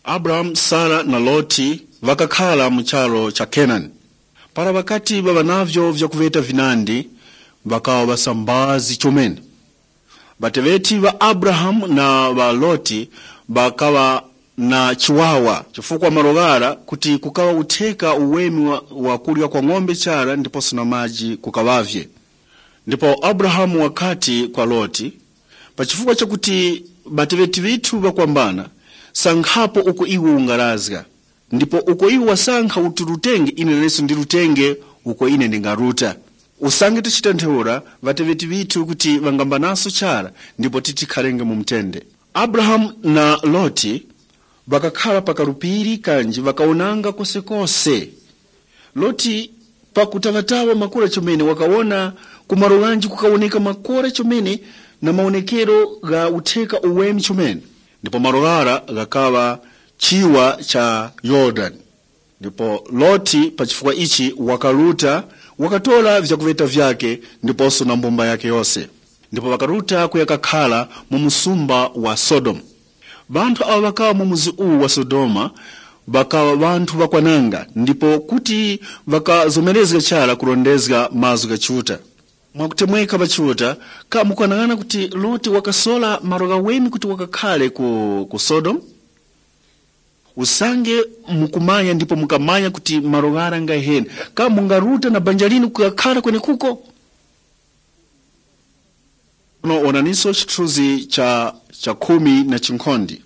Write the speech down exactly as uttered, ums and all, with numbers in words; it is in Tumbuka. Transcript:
Abrahamu, Sara na Loti ŵakakhara mu charu cha Kenani. Para ŵakati ŵaŵa navyo vyakuŵeta vinandi, ŵakaŵa ŵasambazi chomene. Ŵateŵeti ŵa Abrahamu na ŵa Loti ŵakaŵa na chiwawa, chifukwa malo ghara kuti kukaŵa utheka uweme wa, wa kurya kwa ng'ombe chara ndiposo na maji kukaŵavye. Ndipo Abrahamu wakati kwa Loti, pa chifukwa chakuti ŵateŵeti ŵithu ŵakwambana, sankhapo uko iwe ungarazga. Ndipo uko iwe wasankha uti urutenge, ine naneso ndirutenge uko ine ndingaruta. Usange tichita ntheura, ŵateŵeti ŵithu kuti ŵangambanaso chara, ndipo titikharenge mu mtende. Abrahamu na Loti ŵakakhara pa karupiri kanji ŵakawonanga kosekose. Loti pakutaŵataŵa makora chomene wakawona ku malo ghanji kukawoneka makora chomene na mawonekero gha utheka uweme chomene. Ndipo malo ghara ghakaŵa chiwa cha Yorodani. Ndipo Loti pa chifukwa ichi wakaruta, wakatora vyakuŵeta vyake ndiposo na mbumba yake yose. Ndipo ŵakaruta kuya kakhara mu msumba wa Sodomu. Ŵanthu awo ŵakaŵa mu mudzi uwu wa Sodoma ŵakaŵa ŵanthu ŵakwananga, ndipo kuti ŵakazomerezga chara kurondezga mazgu gha Chiuta. Mwakutemweka ŵa Chiuta, ka mukwanang'ana kuti Loti wakasola malo ghaweme kuti wakakhare ku, ku Sodomu? Usange mukumanya ndipo mukamanya kuti malo ghara ngaheni, ka mungaruta na banja linu kukakhara kwenekuko? Sono onaniso chithunzi cha, cha khumi na chinkhonde.